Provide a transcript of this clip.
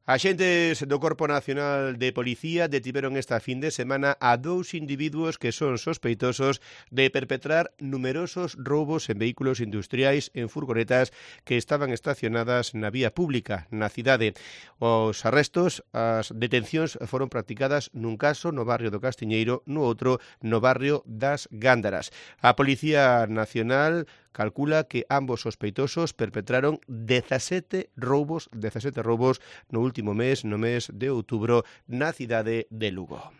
Axentes do Corpo Nacional de Policía detiveron esta fin de semana a 2 individuos que son sospeitosos de perpetrar numerosos roubos en vehículos industriais en furgonetas que estaban estacionadas na vía pública na cidade. Os arrestos, as detencións foron practicadas nun caso no barrio do Castiñeiro, no outro no barrio das Gándaras. A Policía Nacional calcula que ambos sospeitosos perpetraron 17 roubos no último mes, no mes de outubro, na cidade de Lugo.